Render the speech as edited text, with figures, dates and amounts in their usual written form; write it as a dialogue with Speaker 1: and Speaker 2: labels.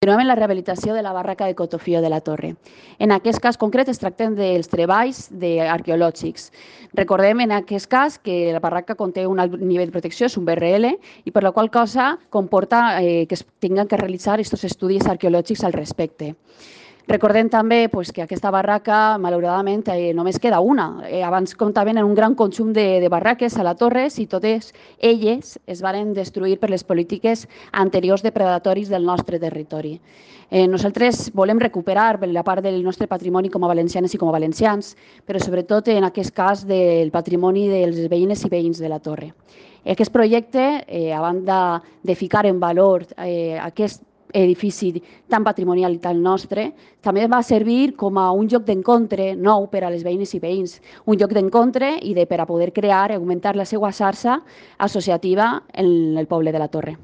Speaker 1: Continuem en la rehabilitació de la barraca de Cotofio de la Torre. En aquest cas concret es tracten dels treballs arqueològics. Recordem en aquest cas que la barraca conté un alt nivell de protecció, és un BRL, i per la qual cosa comporta que es tinguin que realitzar aquests estudis arqueològics al respecte. Recordem també que aquesta barraca, malauradament, només queda una. Abans comptaven en un gran conjunt de barraques a la torre i totes elles es van destruir per les polítiques anteriors depredatoris del nostre territori. Nosaltres volem recuperar la part del nostre patrimoni com a valencianes i com a valencians, però sobretot en aquest cas del patrimoni dels veïnes i veïns de la torre. Aquest projecte, a banda de ficar en valor aquest edifici tan patrimonial i tan nostre, també va servir com a un lloc d'encontre nou per a les veïnes i veïns, un lloc d'encontre i per a poder crear i augmentar la seva xarxa associativa en el poble de la Torre.